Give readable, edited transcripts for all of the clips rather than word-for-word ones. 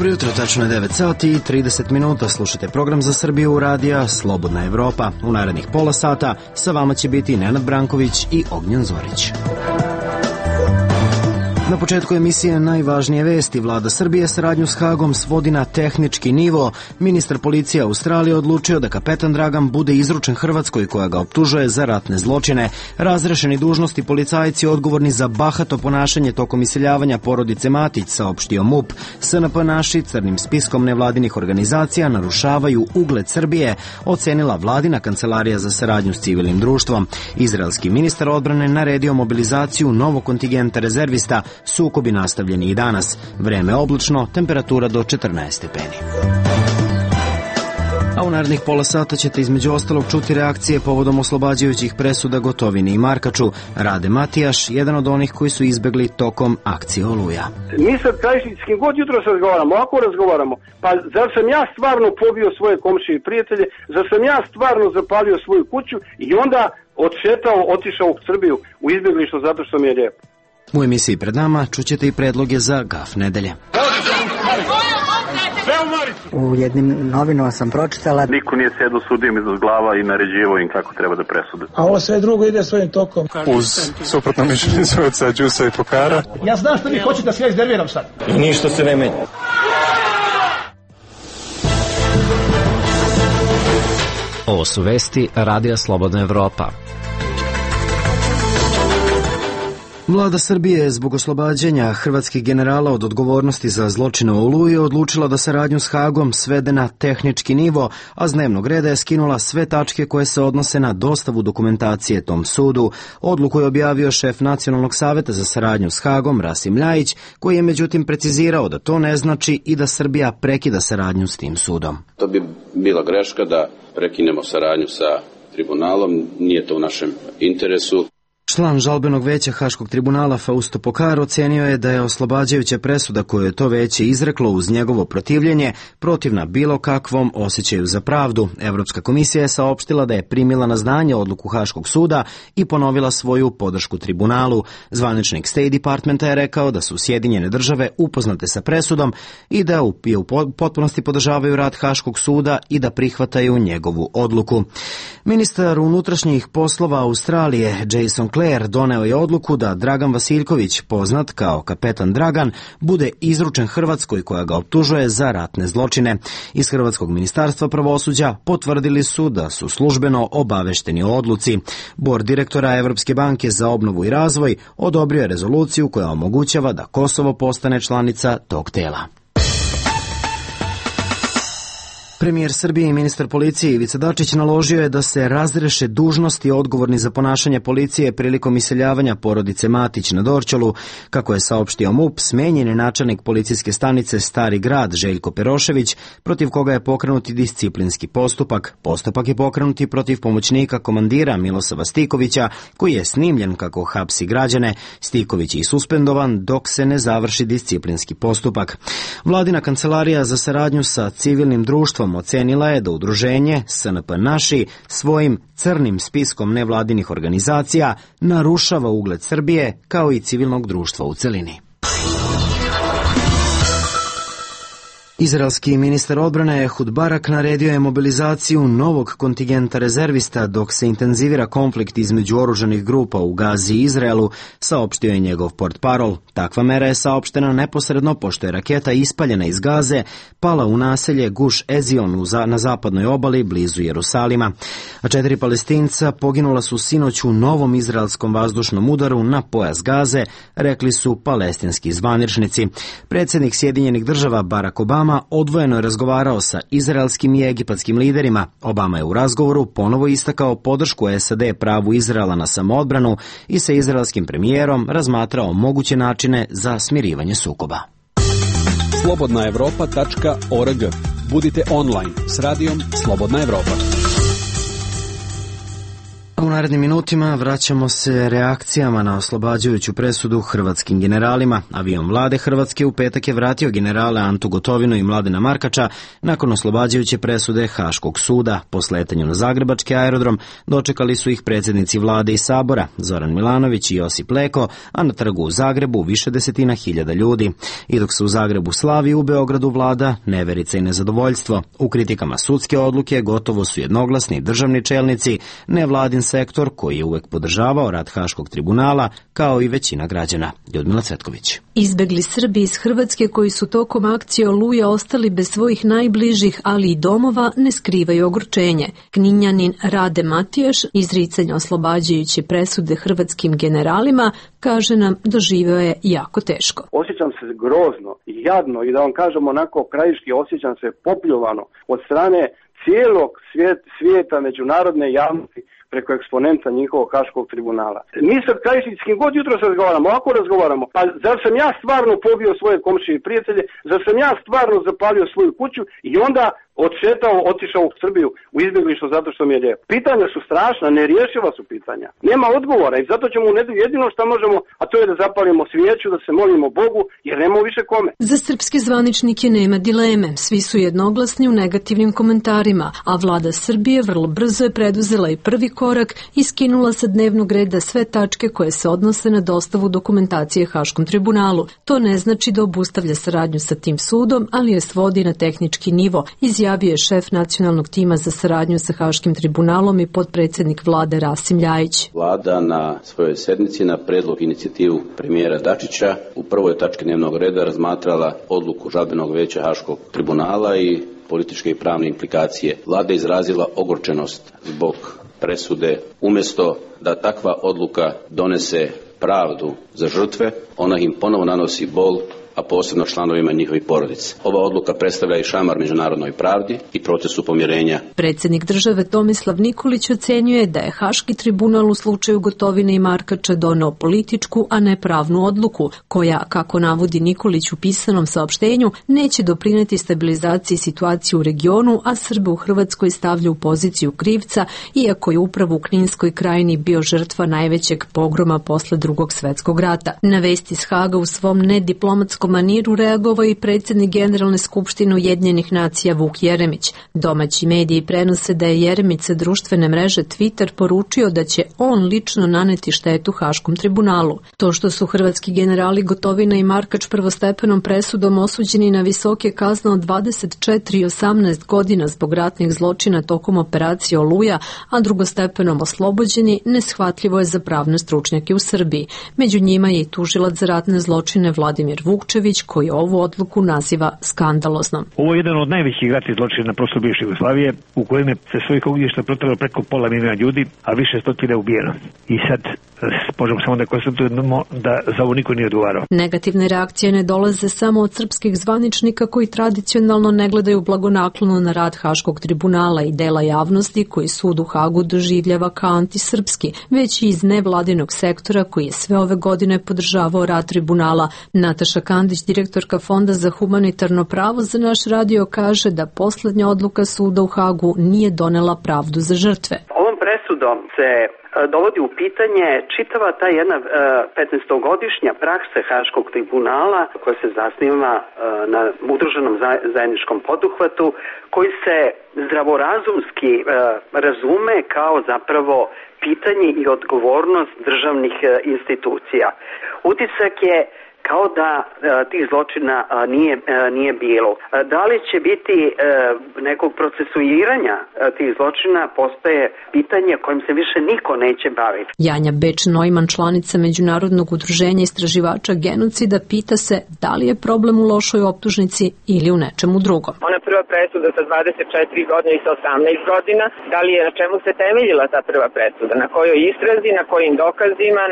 Dobro jutro, tačno je 9 sati i 30 minuta. Slušajte program za Srbiju radija Slobodna Evropa. U narednih pola sata sa vama će biti Nenad Branković i Ognjen Zorić. Na početku emisije najvažnije vesti. Vlada Srbije saradnju s Hagom svodi na tehnički nivo. Ministar policije Australije odlučio da kapetan Dragan bude izručen Hrvatskoj koja ga optužuje za ratne zločine. Razrešeni dužnosti policajci odgovorni za bahato ponašanje tokom iseljavanja porodice Matić, saopštio MUP. SNP naši crnim spiskom nevladinih organizacija narušavaju ugled Srbije, ocenila vladina kancelarija za saradnju s civilnim društvom. Izraelski ministar odbrane naredio mobilizaciju novog kontingenta rezervista. Sukobi nastavljeni i danas. Vreme oblačno, temperatura do 14 stepeni. A u narednih pola sata ćete između ostalog čuti reakcije povodom oslobađajućih presuda Gotovini i Markaču. Rade Matijaš, jedan od onih koji su izbegli tokom akcije Oluja. Mi sad Krajišnici, s kim god jutro se razgovaramo, ako razgovaramo, pa zar sam ja stvarno pobio svoje komšije i prijatelje, zar sam ja stvarno zapalio svoju kuću i onda otišao u Srbiju u izbjeglištvo zato što mi je lijepo. U emisiji pred nama čućete i predloge za gaf nedelje. U jednim novinama sam pročitala: niko nije sedao sudijom iznad glava i naređivao im kako treba da presude. A ovo sve drugo ide svojim tokom. Uz suprotno mišljenje sudaca Đusa i Pokara. Ja znam što vi hoćete da sve iznerviram sad. I ništa se ne menja. Ovo su vesti Radija Slobodna Evropa. Vlada Srbije je zbog oslobađanja hrvatskih generala od odgovornosti za zločine u Oluji odlučila da saradnju s Hagom svede na tehnički nivo, a s dnevnog reda je skinula sve tačke koje se odnose na dostavu dokumentacije tom sudu. Odluku je objavio šef Nacionalnog saveta za saradnju s Hagom, Rasim Ljajić, koji je međutim precizirao da to ne znači i da Srbija prekida saradnju s tim sudom. To bi bila greška da prekinemo saradnju sa tribunalom, nije to u našem interesu. Član žalbenog veća Haškog tribunala Fausto Pokar ocenio je da je oslobađajuća presuda koju je to veće izreklo uz njegovo protivljenje protivna bilo kakvom osjećaju za pravdu. Evropska komisija je saopštila da je primila na znanje odluku Haškog suda i ponovila svoju podršku tribunalu. Zvaničnik State Departmenta je rekao da su Sjedinjene države upoznate sa presudom i da u potpunosti podržavaju rad Haškog suda i da prihvataju njegovu odluku. Ministar unutrašnjih poslova Australije Jason Clare doneo je odluku da Dragan Vasiljković, poznat kao kapetan Dragan, bude izručen Hrvatskoj koja ga optužuje za ratne zločine. Iz Hrvatskog ministarstva pravosuđa potvrdili su da su službeno obavešteni o odluci. Bord direktora Evropske banke za obnovu i razvoj odobrio je rezoluciju koja omogućava da Kosovo postane članica tog tela. Premijer Srbije i ministar policije Ivica Dačić naložio je da se razreše dužnosti odgovorni za ponašanje policije prilikom iseljavanja porodice Matić na Dorćolu. Kako je saopštio MUP, smenjen je načelnik policijske stanice Stari grad Željko Perošević, protiv koga je pokrenuti disciplinski postupak. Postupak je pokrenuti protiv pomoćnika komandira Milosava Stikovića, koji je snimljen kako hapsi građane. Stiković je suspendovan dok se ne završi disciplinski postupak. Vladina kancelarija za saradnju sa civilnim društvom ocenila je da udruženje SNP naši svojim crnim spiskom nevladinih organizacija narušava ugled Srbije kao i civilnog društva u celini. Izraelski ministar odbrane Ehud Barak naredio je mobilizaciju novog kontingenta rezervista dok se intenzivira konflikt između oružanih grupa u Gazi i Izraelu, saopštio je njegov portparol. Takva mera je saopštena neposredno pošto je raketa ispaljena iz Gaze pala u naselje Guš Ezion na zapadnoj obali blizu Jerusalima. A 4 Palestinca poginula su sinoć u novom izraelskom vazdušnom udaru na pojas Gaze, rekli su palestinski zvaničnici. Predsjednik Sjedinjenih država Barack Obama odvojeno je razgovarao sa izraelskim i egipatskim liderima. Obama je u razgovoru ponovo istakao podršku SAD pravu Izraela na samoodbranu i sa izraelskim premijerom razmatrao moguće načine za smirivanje sukoba. Slobodnaevropa.org. Budite online s radijom Slobodna Evropa. U narednim minutima vraćamo se reakcijama na oslobađajuću presudu hrvatskim generalima. Avion vlade Hrvatske u petak je vratio generale Antu Gotovinu i Mladena Markača nakon oslobađajuće presude Haškog suda. Po sletanju na zagrebački aerodrom dočekali su ih predsjednici vlade i sabora Zoran Milanović i Josip Leko, a na trgu u Zagrebu više desetina hiljada ljudi. I dok se u Zagrebu slavi, u Beogradu vlada neverica i nezadovoljstvo. U kritikama sudske odluke gotovo su jednoglasni državni čelnici, nevladin sektor koji je uvek podržavao rad Haškog tribunala, kao i većina građana. Ljudmila Cvetković. Izbegli Srbi iz Hrvatske koji su tokom akcije Oluja ostali bez svojih najbližih, ali i domova, ne skrivaju ogorčenje. Kninjanin Rade Matijaš, izricanje oslobađajuće presude hrvatskim generalima, kaže nam, doživeo je jako teško. Osjećam se grozno i jadno i da vam kažem onako krajiški, osjećam se popljuvano od strane cijelog svijeta međunarodne javnosti preko eksponenta njihovog Haškog tribunala. Mi sad krajišnički god jutro se razgovaramo, ovako razgovaramo, pa zar sam ja stvarno pobio svoje komšije i prijatelje, zar sam ja stvarno zapalio svoju kuću i onda otišao u Srbiju u izbjeglištvo zato što mi je lijepo. Pitanja su strašna, nerješiva su pitanja. Nema odgovora i zato ćemo u nedelju jedino što možemo, a to je da zapalimo svijeću, da se molimo Bogu, jer nemamo više kome. Za srpske zvaničnike nema dileme. Svi su jednoglasni u negativnim komentarima, a vlada Srbije vrlo brzo je preduzela i prvi korak i skinula sa dnevnog reda sve tačke koje se odnose na dostavu dokumentacije Haškom tribunalu. To ne znači da obustavlja saradnju sa tim sudom, ali je svodi na tehnički nivo, izjavio je šef nacionalnog tima za saradnju sa Haškim tribunalom i potpredsjednik vlade Rasim Ljajić. Vlada na svojoj sednici na predlog inicijativu premijera Dačića u prvoj tački dnevnog reda razmatrala odluku žalbenog veća Haškog tribunala i političke i pravne implikacije. Vlada je izrazila ogorčenost zbog presude. Umjesto da takva odluka donese pravdu za žrtve, ona im ponovo nanosi bol, a posebno članovima njihovih porodica. Ova odluka predstavlja i šamar međunarodnoj pravdi i procesu pomirenja. Predsjednik države Tomislav Nikolić ocenjuje da je Haški tribunal u slučaju Gotovine i Markača doneo političku, a ne pravnu odluku, koja, kako navodi Nikolić u pisanom saopštenju, neće doprineti stabilizaciji situacije u regionu, a Srbe u Hrvatskoj stavlja u poziciju krivca, iako je upravo u Kninskoj krajini bio žrtva najvećeg pogroma posle Drugog svjetskog rata. Na vesti iz Haga u svom nediplomatskom maniru reagovao i predsjednik Generalne skupštine Ujedinjenih nacija Vuk Jeremić. Domaći mediji prenose da je Jeremić sa društvene mreže Twitter poručio da će on lično naneti štetu Haškom tribunalu. To što su hrvatski generali Gotovina i Markač prvostepenom presudom osuđeni na visoke kazne od 24 i 18 godina zbog ratnih zločina tokom operacije Oluja, a drugostepenom oslobođeni, neshvatljivo je za pravne stručnjake u Srbiji. Među njima je i tužilac za ratne zločine Vladimir Vukčević, koji ovu odluku naziva skandaloznom. Ovo je jedan od najvećih ratnih zločina na prostoru bivše Jugoslavije, u kojem je se svojih ognjišta protralo preko pola milijuna ljudi, a više stotina ubijeno. I sad možemo samo da konstatujemo da za ovo niko nije odgovarao. Negativne reakcije ne dolaze samo od srpskih zvaničnika koji tradicionalno ne gledaju blagonaklono na rad Haškog tribunala i dela javnosti koji sud u Hagu doživljava kao antisrpski, već i iz nevladinog sektora koji je sve ove godine podržavao rad tribunala. Nataša Kandić, direktorka Fonda za humanitarno pravo za naš radio, kaže da posljednja odluka suda u Hagu nije donela pravdu za žrtve. Ovom presudom se dovodi u pitanje čitava ta jedna 15-godišnja praksa Haškog tribunala koja se zasniva na udruženom zajedničkom poduhvatu koji se zdravorazumski razume kao zapravo pitanje i odgovornost državnih institucija. Utisak je kao da tih zločina nije bilo. Da li će biti nekog procesuiranja tih zločina postaje pitanje kojim se više niko neće baviti. Janja Beč-Neumann, članica Međunarodnog udruženja istraživača genocida, pita se da li je problem u lošoj optužnici ili u nečemu drugom. Ona prva presuda sa 24 godine i sa 18 godina, da li je na čemu se temeljila ta prva presuda? Na kojoj istrazi, na kojim dokazima,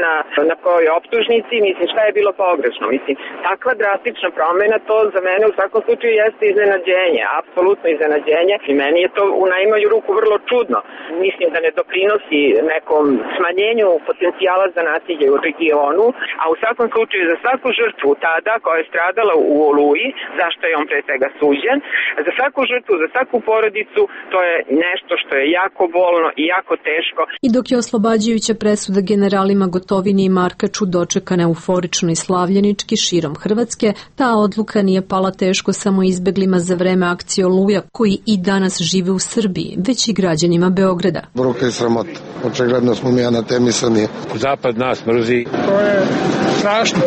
na kojoj optužnici? Mislim, šta je bilo pogrešno? drastično. Mislim, takva drastična promena, to za mene u svakom slučaju jeste iznenađenje, apsolutno iznenađenje i meni je to u najmanju ruku vrlo čudno. Mislim da ne doprinosi nekom smanjenju potencijala za nasilje u regionu, a u svakom slučaju za svaku žrtvu tada koja je stradala u Oluji, zašto je on pre svega suđen, za svaku žrtvu, za svaku porodicu, to je nešto što je jako bolno i jako teško. I dok je oslobađajuća presuda generalima Gotovini i Markaču dočekana euforično i slavljenički širom Hrvatske, ta odluka nije pala teško samo izbeglima za vreme akcije Oluja, koji i danas žive u Srbiji, već i građanima Beograda. Bruka i sramota. Očigledno smo mi anatemisani. Zapad nas mrzi. To je strašno.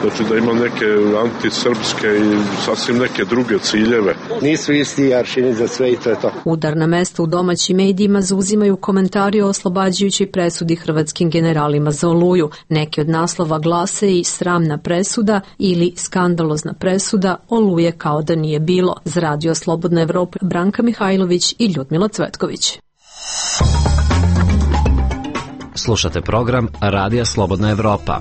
Znači da ima neke antisrpske i sasvim neke druge ciljeve. Nisu isti aršini za sve i to je to. Udarna mesta u domaćim medijima zauzimaju komentari o oslobađajućoj presudi hrvatskim generalima za Oluju. Neki od naslova glase i sramna presuda ili skandalozna presuda, Oluje kao da nije bilo. Za Radio Slobodna Evropa Branka Mihajlović i Ljudmila Cvetković. Slušate program Radija Slobodna Evropa.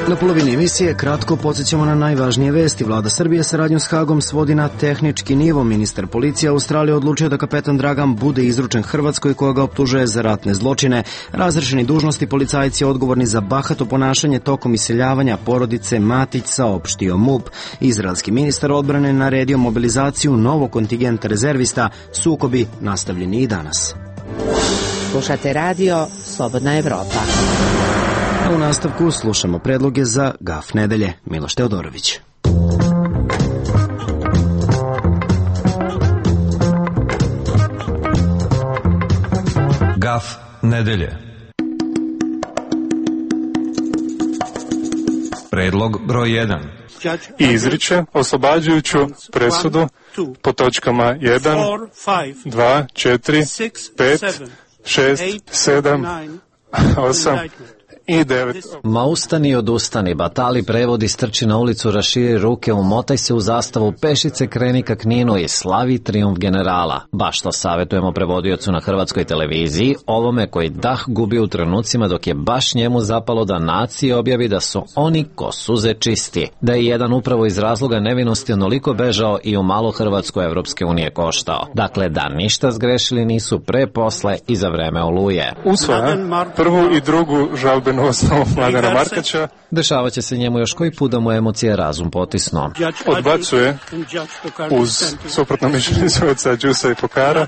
Na polovini emisije kratko podsjećamo na najvažnije vesti. Vlada Srbije saradnju s Hagom svodi na tehnički nivo. Ministar policije Australije odlučio da kapetan Dragan bude izručen Hrvatskoj koja ga optužuje za ratne zločine. Razrešeni dužnosti policajci odgovorni za bahato ponašanje tokom iseljavanja porodice Matić, saopštio MUP. Izraelski ministar odbrane naredio mobilizaciju novog kontingenta rezervista. Sukobi nastavljeni i danas. Slušate radio Slobodna Evropa. U nastavku slušamo predloge za Gaf nedelje. Miloš Teodorović. Gaf nedelje. Predlog broj 1. Izriče oslobađajuću presudu po točkama 1, 2, 4, 5, 6, 7, 8 i 9. Ma ustani odustani, batali prevodi, strči na ulicu, raširi ruke, umotaj se u zastavu, pešice kreni ka Kninu i slavi trijumf generala. Baš to savjetujemo prevodiocu na hrvatskoj televiziji, ovome koji dah gubi u trenucima dok je baš njemu zapalo da naciji objavi da su oni ko suze čisti. Da je jedan upravo iz razloga nevinosti onoliko bežao i u malo Hrvatsku Evropske unije koštao. Dakle, da ništa zgrešili nisu pre, posle i za vreme Oluje. Usvaja prvu i drugu žalbenu osnovu Mladena Markača. Dešava će se njemu još koji put da mu emocije razum potisno. Odbacuje uz suprotno mišljenje sudaca Đusa i Pokara.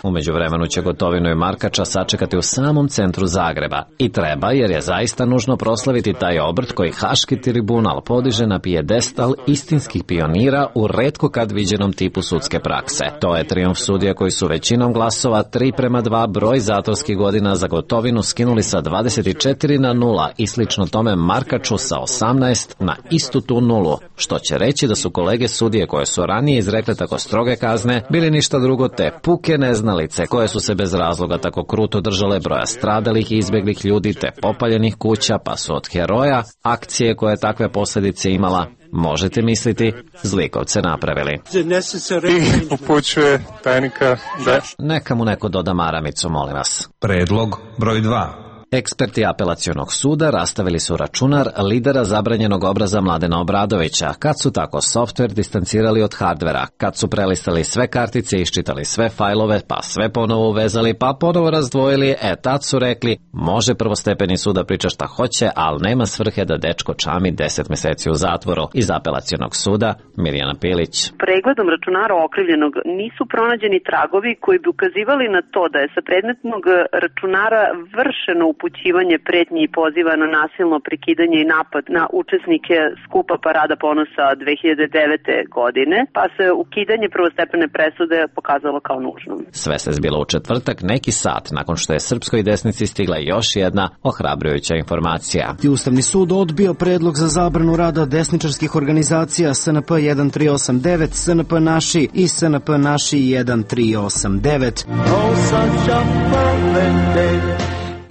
U međuvremenu će Gotovinu i Markača sačekati u samom centru Zagreba. I treba, jer je zaista nužno proslaviti taj obrt koji Haški tribunal podiže na pijedestal istinskih pionira u retko kad viđenom tipu sudske prakse. To je trijumf sudija koji su većinom glasova 3:2 broj zatvorskih godina za Gotovinu skinuli sa 24 na 0 i slično tome Markaču sa 18 na istu tu nulu, što će reći da su kolege sudije koje su ranije izrekle tako stroge kazne bili ništa drugo te puke neznalice koje su se bez razloga tako kruto držale broja stradalih i izbeglih ljudi te popaljenih kuća, pa su od heroja akcije koje takve posljedice imala, možete misliti, zlikovce napravili. I upućuje tajnika da... Neka mu neko doda maramicu, molim vas. Predlog broj 2. Eksperti apelacionog suda rastavili su računar lidera zabranjenog obraza Mladena Obradovića, kad su tako softver distancirali od hardvera, kad su prelistali sve kartice, iščitali sve fajlove, pa sve ponovo uvezali, pa ponovo razdvojili, tad su rekli, može prvostepeni sud da priča šta hoće, ali nema svrhe da dečko čami 10 meseci u zatvoru. Iz apelacionog suda, Mirjana Pilić. Pregledom računara okrivljenog nisu pronađeni tragovi koji bi ukazivali na to da je sa predmetnog računara vršeno upućivanje pretnji i poziva na nasilno prekidanje i napad na učesnike skupa Parada ponosa 2009. godine, pa se ukidanje prvostepene presude pokazalo kao nužno. Sve se zbilo u četvrtak, neki sat nakon što je srpskoj desnici stigla još jedna ohrabrujuća informacija. Ustavni sud odbio predlog za zabranu rada desničarskih organizacija SNP 1389, SNP Naši i SNP Naši 1389.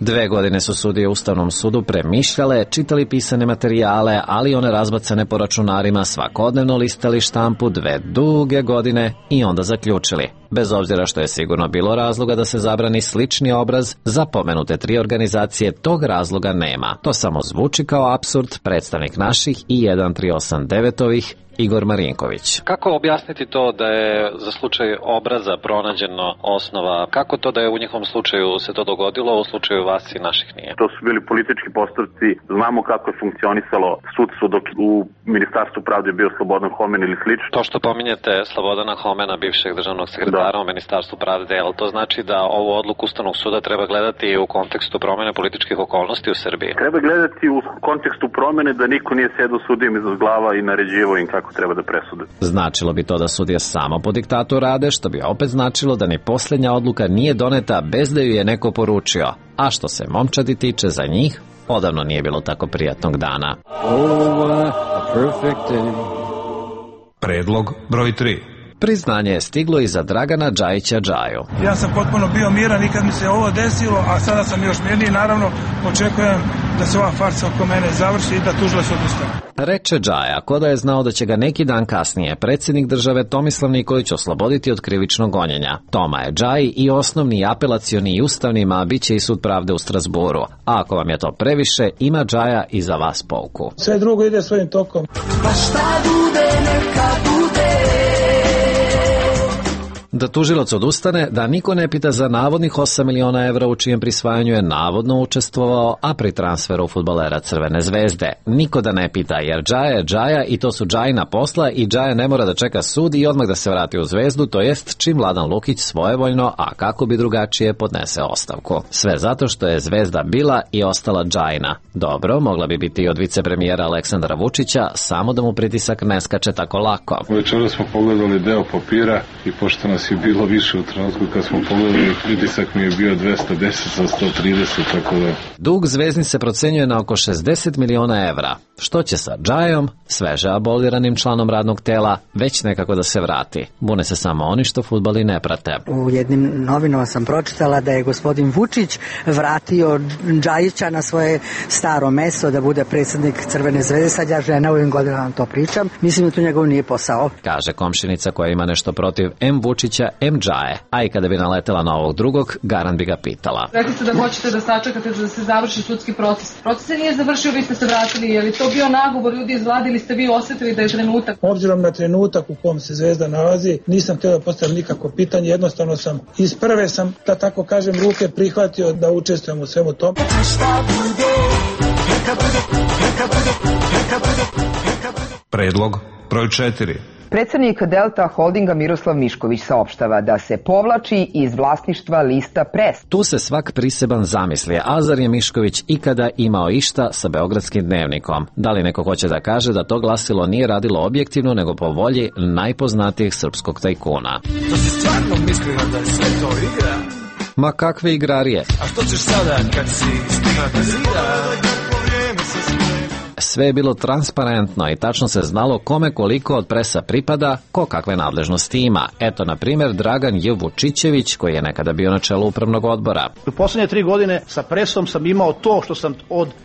2 godine su sudije u Ustavnom sudu premišljale, čitali pisane materijale, ali one razbacane po računarima, svakodnevno listali štampu 2 duge godine i onda zaključili. Bez obzira što je sigurno bilo razloga da se zabrani slični obraz, za pomenute 3 organizacije tog razloga nema. To samo zvuči kao apsurd, predstavnik naših i 1389-ovih Igor Marinković. Kako objasniti to da je za slučaj obraza pronađeno osnova? Kako to da je u njihovom slučaju se to dogodilo, u slučaju vas i naših nije? To su bili politički postupci. Znamo kako je funkcionisalo sudstvo dok u Ministarstvu pravde je bio Slobodan Homen ili slično. To što pominjete Slobodana Homena, bivšeg državnog sekretara u Ministarstvu pravde, ali to znači da ovu odluku Ustavnog suda treba gledati u kontekstu promene političkih okolnosti u Srbiji? Treba gledati u kontekstu promene da niko nije sedao sudijom iza glava i naređivao im kako treba da presude. Značilo bi to da sudije samo po diktatu rade, što bi opet značilo da ni posljednja odluka nije doneta bez da ju je neko poručio. A što se momčadi tiče, za njih odavno nije bilo tako prijatnog dana. Predlog broj 3. Priznanje je stiglo i za Dragana Džajića Džaju. Ja sam potpuno bio miran i kad mi se ovo desilo, a sada sam još mirniji, naravno očekujem da se ova farsa oko mene završi i da tužilac odustane. Reče Džaja, ko da je znao da će ga neki dan kasnije predsjednik države Tomislav Nikolić osloboditi od krivičnog gonjenja. Toma je Džaji i osnovni i apelacioni i ustavni, a bit će i sud pravde u Strasburu. A ako vam je to previše, ima Džaja i za vas pouku. Sve drugo ide svojim tokom. Pa šta bude, neka bude. Da tužilac odustane, da niko ne pita za navodnih 8 miliona evra u čijem prisvajanju je navodno učestvovao, a pri transferu fudbalera Crvene zvezde. Niko da ne pita, jer Džaja je Džaja i to su Džajina posla i Džaja ne mora da čeka sud i odmah da se vrati u Zvezdu, to jest čim Vladan Lukić svojevoljno, a kako bi drugačije, podnese ostavku. Sve zato što je Zvezda bila i ostala Džajina. Dobro, mogla bi biti i od vicepremijera Aleksandra Vučića, samo da mu pritisak ne skače tako lako. Večera smo pogledali deo papira i pošto nas je bilo više u trenutku kad smo pogledali, pritisak mi je bio 210 za 130, tako da... Dug Zvezdin se procenjuje na oko 60 miliona evra. Što će sa Džajom, sveže aboliranim članom radnog tela, već nekako da se vrati. Bune se samo oni što fudbali ne prate. U jednim novinama sam pročitala da je gospodin Vučić vratio Džajića na svoje staro mesto da bude predsjednik Crvene zvezde. Sad ja žena u ovim godinama to pričam. Mislim da to njegov nije posao. Kaže komšinica koja ima nešto protiv M. Vučića, M. Džaje. A i kada bi naletela na ovog drugog, Garan bi ga pitala. Rekli ste da hoćete da sačekate da se završi sudski proces. Proces se nije završio, vi ste se vratili. Je li to bio nagovor ljudi iz vlade ili ste vi osjetili da je trenutak? Obzirom na trenutak u kom se Zvezda nalazi, nisam htio da postavim nikako pitanje. Jednostavno sam iz prve sam, da tako kažem, ruke prihvatio da učestvujem u svemu tom. Predlog broj 4. Predsjednik Delta Holdinga Miroslav Mišković saopštava da se povlači iz vlasništva lista Pres. Tu se svak priseban zamisli, a zar je Mišković ikada imao išta sa Beogradskim dnevnikom? Da li neko hoće da kaže da to glasilo nije radilo objektivno, nego po volji najpoznatijih srpskog tajkuna? To si stvarno mislio da je sve to igra? Ma kakve igrarije? A što ćeš sada kad si stigla do zida? Sve je bilo transparentno i tačno se znalo kome koliko od Presa pripada, ko kakve nadležnosti ima. Eto, na primjer, Dragan J. Vučićević, koji je nekada bio na čelu upravnog odbora. U posljednje 3 godine sa Presom sam imao to što sam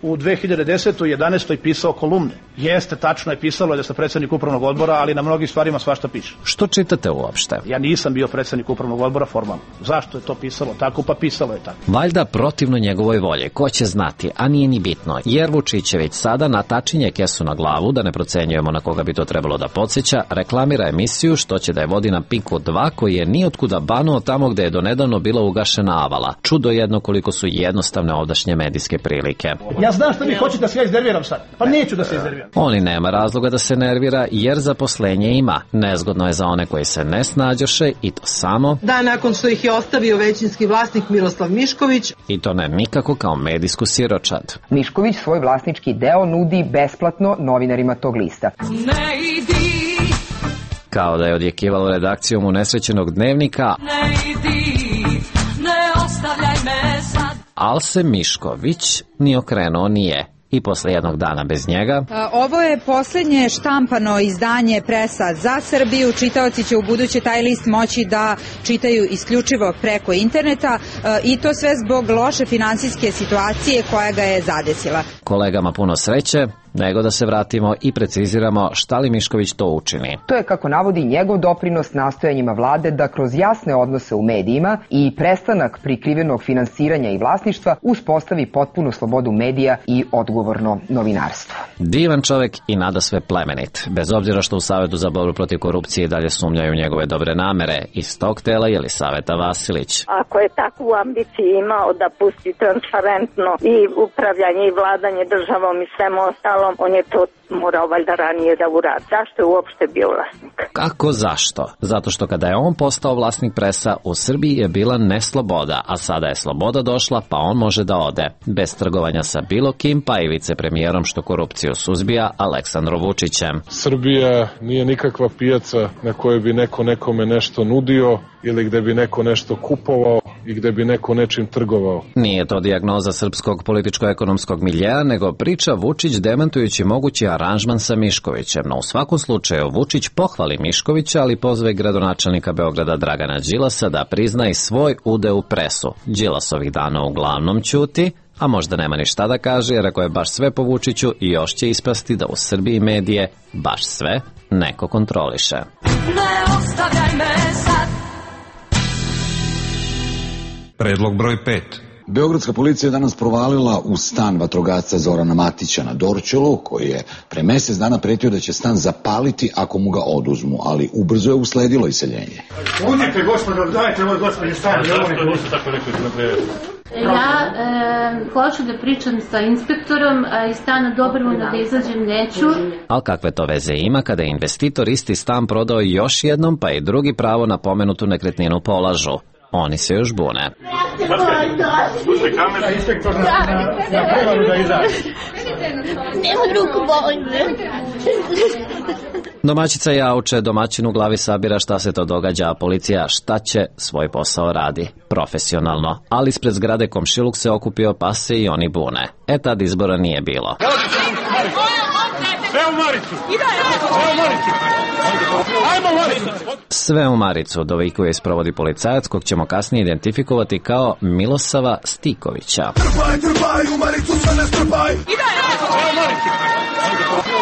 u 2010. i 11. pisao kolumne. Jeste, tačno je pisalo da sam predsjednik upravnog odbora, ali na mnogim stvarima svašta piše. Što čitate uopšte? Ja nisam bio predsjednik upravnog odbora formalno. Zašto je to pisalo tako? Pa pisalo je tako. Valjda protivno njegovoj volji, ko će znati, a nije ni bitno, jer Vučićević sada natačinje kesu na glavu, da ne procenjujemo na koga bi to trebalo da podsjeća, reklamira emisiju što će da je vodi na Pinku 2, koji je nijotkuda banuo tamo gde je donedavno bila ugašena Avala. Čudo jedno koliko su jednostavne ovdašnje medijske prilike. Ja znam što vi hoćete da se ja iznerviram sad, pa neću da se iznerviram. Oni nema razloga da se nervira, jer zaposlenje ima. Nezgodno je za one koji se ne snađoše i to samo da nakon što ih je ostavio većinski vlasnik Miroslav Mišković. I to ne nikako kao medijsku siročad. Mišković svoj vlasnički deo nudi besplatno novinarima tog lista. Ne idi. Kao da je odjekivalo redakcijom unesrećenog dnevnika. Ne idi, ne ostavljaj me sad. Al se Mišković ni okrenuo nije. i posle jednog dana bez njega. Ovo je poslednje štampano izdanje Presa za Srbiju. Čitaoci će u buduće taj list moći da čitaju isključivo preko interneta i to sve zbog loše finansijske situacije koja ga je zadesila. Kolegama puno sreće, nego da se vratimo i preciziramo šta li Mišković to učini. To je, kako navodi, njegov doprinos nastojanjima vlade da kroz jasne odnose u medijima i prestanak prikrivenog finansiranja i vlasništva uspostavi potpunu slobodu medija i odgovorno novinarstvo. Divan čovek i nadasve plemenit. Bez obzira što u Savetu za borbu protiv korupcije i dalje sumnjaju njegove dobre namere. Iz tog tela Jelisaveta Vasilić. Ako je takvu ambiciju imao da pusti transparentno i upravljanje i vladanje državom i svemu ostalom, on je to morao valjda ranije da uradi. Zašto je uopšte bio vlasnik? Kako zašto? Zato što kada je on postao vlasnik Presa, u Srbiji je bila nesloboda, a sada je sloboda došla, pa on može da ode. Bez trgovanja sa bilo kim, pa i vicepremijerom što korupciju suzbija, Aleksandrom Vučićem. Srbija nije nikakva pijaca na kojoj bi neko nekome nešto nudio ili gde bi neko nešto kupovao i gde bi neko nečim trgovao. Nije to dijagnoza srpskog političko-ekonomskog miljeja, nego priča Vučić demantujući mogući aranžman sa Miškovićem. No u svakom slučaju Vučić pohvali Miškovića, ali pozve gradonačelnika Beograda Dragana Đilasa da prizna i svoj udeo u Presu. Đilas ovih dana uglavnom ćuti, a možda nema ni šta da kaže, jer ako je baš sve po Vučiću, još će ispasti da u Srbiji medije baš sve neko kontroliše. Ne ostavljaj me sad. Predlog broj 5. Beogradska policija je danas provalila u stan vatrogasca Zorana Matića na Dorćolu, koji je pre mesec dana pretio da će stan zapaliti ako mu ga oduzmu, ali ubrzo je usledilo iseljenje. Udite, gospodo, dajte ovo gospodin stan. Ja hoću da pričam sa inspektorom, a iz stana dobrovoljno da izađem neću. Ali kakve to veze ima kada je investitor isti stan prodao još jednom, pa i drugi pravo na pomenutu nekretninu polažu? Oni se još bune. Domaćica jauče, domaćin u glavi sabira šta se to događa, a policija šta će, svoj posao radi. Profesionalno. Ali ispred zgrade komšiluk se okupio, pa se i oni bune. Tad izbora nije bilo. Sve u Maricu, dovikuje i sprovodi policajac kog ćemo kasnije identifikovati kao Milosava Stikovića. Trpaj, trpaj, u Maricu sve ne strpaj.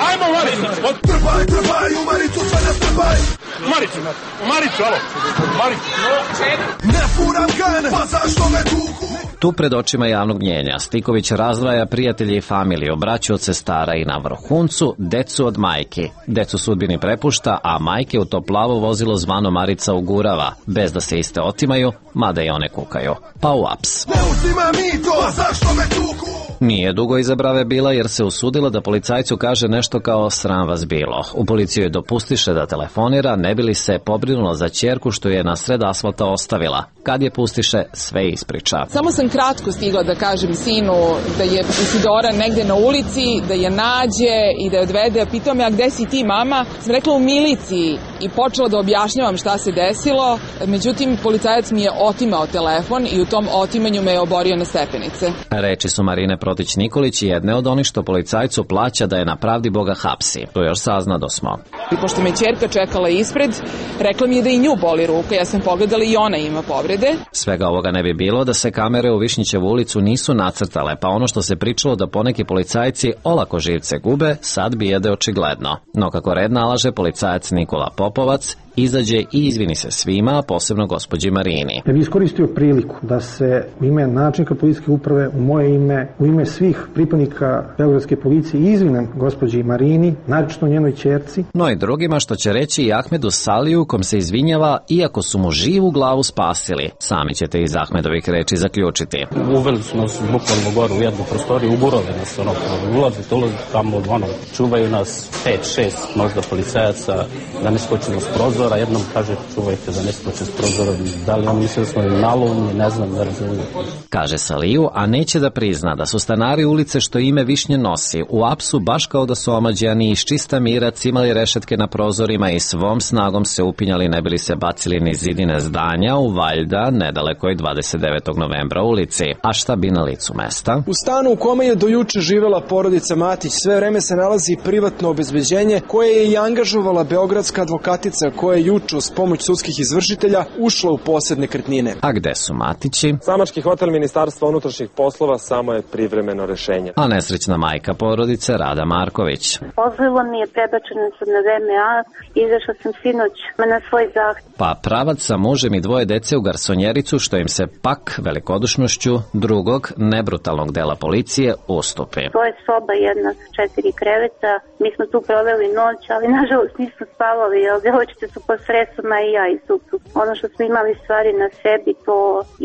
Ajmo Maricu. Trpaj, trpaj, u Maricu sve ne strpaj. U Maricu, alo. Ne furam gan, pa zašto me tuku? Tu pred očima javnog mnjenja Stiković razdvaja prijatelje i familiju, braću od sestara i na vrhuncu decu od majki. Decu sudbini prepušta, a majke u to plavo vozilo zvano Marica ugurava, bez da se iste otimaju, mada i one kukaju. Pa u aps. Ne uzima mi to, zašto me tuku? Nije dugo iza brave bila jer se usudila da policajcu kaže nešto kao sram vas bilo. U policiju je dopustiše da telefonira, ne bi li se pobrinula za ćerku što je na sred asfalta ostavila. Kad je pustiše, sve ispriča. Samo sam kratko stigla da kažem sinu da je Isidora negde na ulici, da je nađe i da je odvede. Pitao me, a gde si ti, mama? Sam rekla u miliciji i počela da objašnjavam šta se desilo. Međutim, policajac mi je otimao telefon i u tom otimanju me je oborio na stepenice. Reči su Marine Protić Nikolić, jedne od onih što policajcu plaća da je na pravdi Boga hapsi. To još saznado smo. I pošto me ćerka čekala ispred, rekla mi je da i nju boli ruka. Ja sam pogledala i ona ima povrede. Svega ovoga ne bi bilo da se kamere u Višnjićevu ulicu nisu nacrtale, pa ono što se pričalo da poneki policajci olako živce gube, sad bi jede očigledno. No kako red nalaže, policajac Nikola Popovac izađe i izvini se svima, a posebno gospođi Marini. Ja bih iskoristio priliku da se u ime načelnika policijske uprave, u moje ime, u ime svih pripadnika beogradske policije izvinem gospođi Marini, naročito njenoj ćerci. No i drugima, što će reći i Ahmedu Saliju, kom se izvinjava iako su mu živu glavu spasili. Sami ćete iz Ahmedovih reči zaključiti. Uveli su nas bukvalno gore u jednu prostoriju, uburove nas, ulazite tamo, čuvaju nas 5-6 možda policajaca da ne skočimo s prozora. prozora, jednom kaže čuvajte da ne skoče s prozora, da li on misli da smo nalovni, ne znam, ne razumijem. Kaže Saliju, a neće da prizna da su stanari ulice što ime Višnje nosi u apsu baš kao da su omađani iz čista mira cimali rešetke na prozorima i svom snagom se upinjali ne bili se bacili niz zidine zdanja u valjda nedalekoj 29. novembra ulici. A šta bi na licu mesta? U stanu u kome je do juče živela porodica Matić sve vreme se nalazi privatno obezbeđenje koje je i angažovala beogradska advokatica koja je juče uz pomoć sudskih izvršitelja ušla u posed nekretnine. A gde su Matići? Samački hotel Ministarstva unutrašnjih poslova samo je privremeno rešenje. A nesrećna majka porodice Rada Marković. Pozvalo mi je, prebačena sam na VMA, izašla sam sinoć na svoj zahtev. Pa pravac sa mužem i dvoje dece u garsonjericu što im se pak velikodušnošću drugog nebrutalnog dela policije ustupi. To je soba jedna sa 4 kreveta, mi smo tu proveli noć, ali nažalost nismo spavali, jer djevojčice su pod stresama i ja i suprug. Ono što smo imali stvari na sebi, to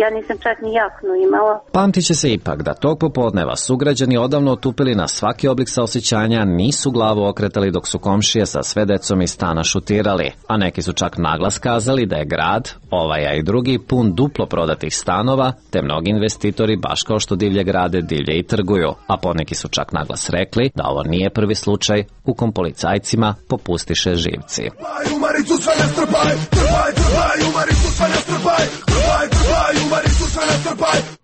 ja nisam čak ni jaknu imala. Pamtit će se ipak da tog popodneva sugrađani odavno otupili na svaki oblik saosećanja, nisu glavu okretali dok su komšije sa sve decom iz stana šutirali, a neki su čak naglas kazali da je grad, ovaj a i drugi, pun duplo prodatih stanova, te mnogi investitori baš kao što divlje grade, divlje i trguju, a poneki su čak naglas rekli da ovo nije prvi slučaj u kom policajcima popustiše živci.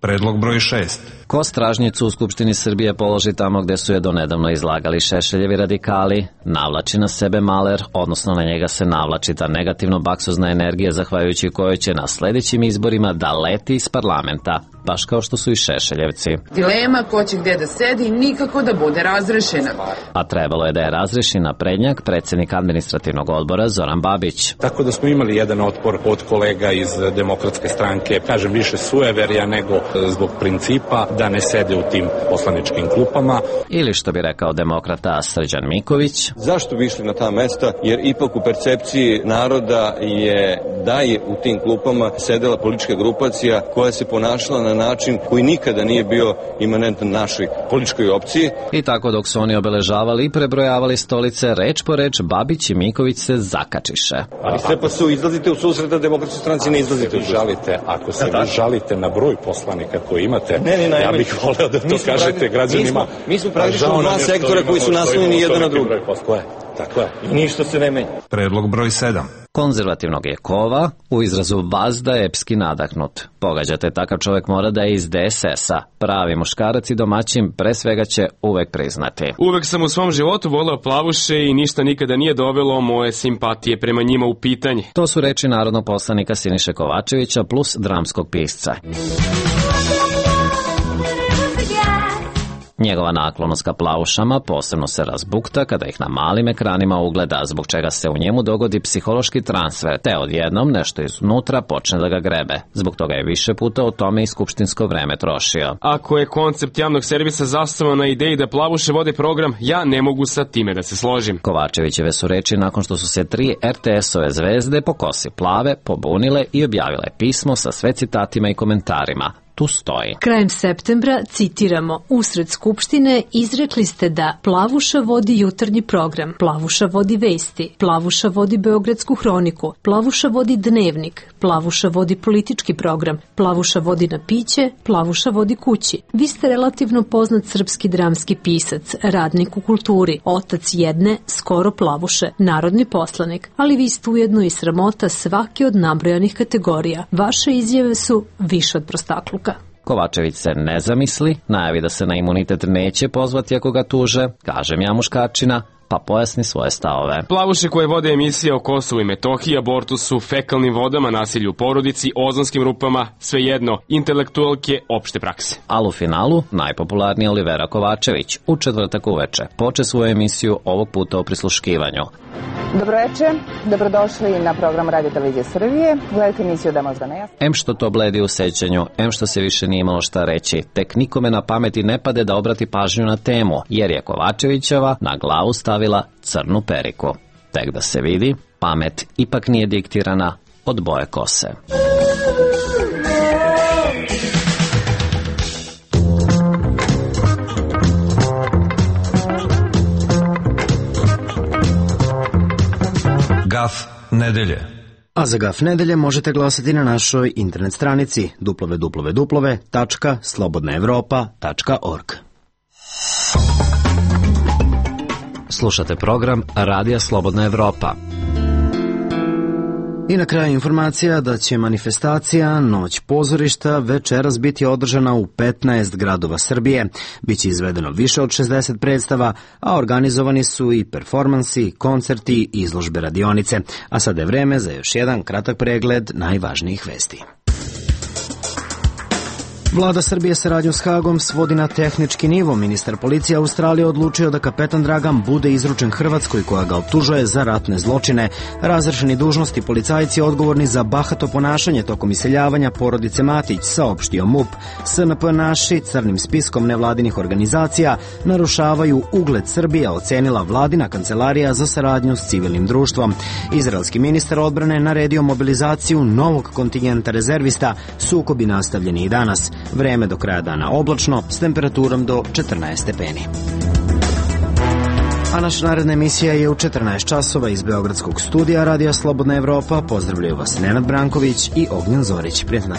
Predlog broj 6. Ko stražnjicu u Skupštini Srbije položi tamo gde su je donedavno izlagali Šešeljevi radikali, navlači na sebe maler, odnosno na njega se navlači ta negativno baksuzna energija zahvaljujući kojoj će na sledećim izborima da leti iz parlamenta, baš kao što su i Šešeljevci. Dilema ko će gde da sedi nikako da bude razrešena. A trebalo je da je razreši naprednjak, predsjednik administrativnog odbora Zoran Babić. Tako da smo imali jedan otpor od kolega iz Demokratske stranke, kažem više sueverja nego zbog principa da ne sede u tim poslaničkim klupama. Ili što bi rekao demokrata Srđan Miković. Zašto bi išli na ta mesta? Jer ipak u percepciji naroda je da je u tim klupama sedela politička grupacija koja se ponašala na način koji nikada nije bio imanentan našoj političkoj opciji. I tako dok su oni obeležavali i prebrojavali stolice, reč po reč Babić i Miković se zakačiše. Ali sve pa su izlazite u susret da Demokratskoj stranci ne izlazite u susret. Ako se vi žalite na broj poslanika koji imate, ja bih voleo da to kažete građanima. Mi smo praktično dva sektora koji su naslonjeni jedan na drugi. Tako je. I ništa se ne menja. Predlog broj 7. Konzervativnog je kova, u izrazu vazda epski nadahnut. Pogađate, takav čovjek mora da je iz DSS-a. Pravi muškarac i domaćin pre svega će uvek priznati. Uvek sam u svom životu voleo plavuše i ništa nikada nije dovelo moje simpatije prema njima u pitanje. To su reči narodnog poslanika Siniše Kovačevića plus dramskog pisca. Njegova naklonost ka plavušama posebno se razbukta kada ih na malim ekranima ugleda, zbog čega se u njemu dogodi psihološki transfer, te odjednom nešto iznutra počne da ga grebe. Zbog toga je više puta o tome i skupštinsko vreme trošio. Ako je koncept javnog servisa zasnovan na ideji da plavuše vode program, ja ne mogu sa time da se složim. Kovačevićeve su reči nakon što su se 3 RTS-ove zvezde po kosi plave pobunile i objavile pismo sa sve citatima i komentarima. Tu stoji. Krajem septembra, citiramo, usred Skupštine izrekli ste da Plavuša vodi jutarnji program, Plavuša vodi vesti, Plavuša vodi Beogradsku hroniku, Plavuša vodi dnevnik, Plavuša vodi politički program, Plavuša vodi na piće, Plavuša vodi kući. Vi ste relativno poznat srpski dramski pisac, radnik u kulturi, otac jedne, skoro Plavuše, narodni poslanik, ali vi ste ujedno i sramota svake od nabrojanih kategorija. Vaše izjave su više od prostakluka. Kovačević se ne zamisli, najavi da se na imunitet neće pozvati ako ga tuže, kažem ja muškarčina, pa pojasni svoje stavove. Plavuše koje vode emisije o Kosovu i Metohiji, abortusu, fekalnim vodama, nasilju u porodici, ozonskim rupama, svejedno, intelektualke opšte prakse. Ali u finalu najpopularniji Olivera Kovačević u četvrtak uveče poče svoju emisiju ovog puta o prisluškivanju. Dobroveče, dobrodošli na program Radio Televizije Srbije. Gledajte emisiju Da možda ne jasno. Em što to bledi u sećanju, em što se više nije imalo šta reći, tek nikome na pameti ne pade da obrati pažnju na temu, jer je Kovačevićeva na glavu stavila crnu periku. Tek da se vidi, pamet ipak nije diktirana od boje kose. Gaf nedelje. A za Gaf nedelje možete glasati na našoj internet stranici www.slobodnaevropa.org. Slušate program Radija Slobodna Evropa. I na kraju informacija da će manifestacija Noć pozorišta večeras biti održana u 15 gradova Srbije. Biće izvedeno više od 60 predstava, a organizovani su i performansi, koncerti i izložbe radionice. A sada je vreme za još jedan kratak pregled najvažnijih vesti. Vlada Srbije saradnju s Hagom svodi na tehnički nivo. Ministar policije Australije odlučio da kapetan Dragan bude izručen Hrvatskoj koja ga optužuje za ratne zločine. Razrešeni dužnosti policajci odgovorni za bahato ponašanje tokom iseljavanja porodice Matić, saopštio MUP. SNP naši crnim spiskom nevladinih organizacija narušavaju ugled Srbije, ocenila vladina kancelarija za saradnju s civilnim društvom. Izraelski ministar odbrane naredio mobilizaciju novog kontingenta rezervista, sukobi nastavljeni i danas. Vreme do kraja dana oblačno, s temperaturom do 14 stepeni. A naša naredna emisija je u 14 časova iz Beogradskog studija Radija Slobodna Evropa. Pozdravljaju vas Nenad Branković i Ognjen Zorić. Prijatno.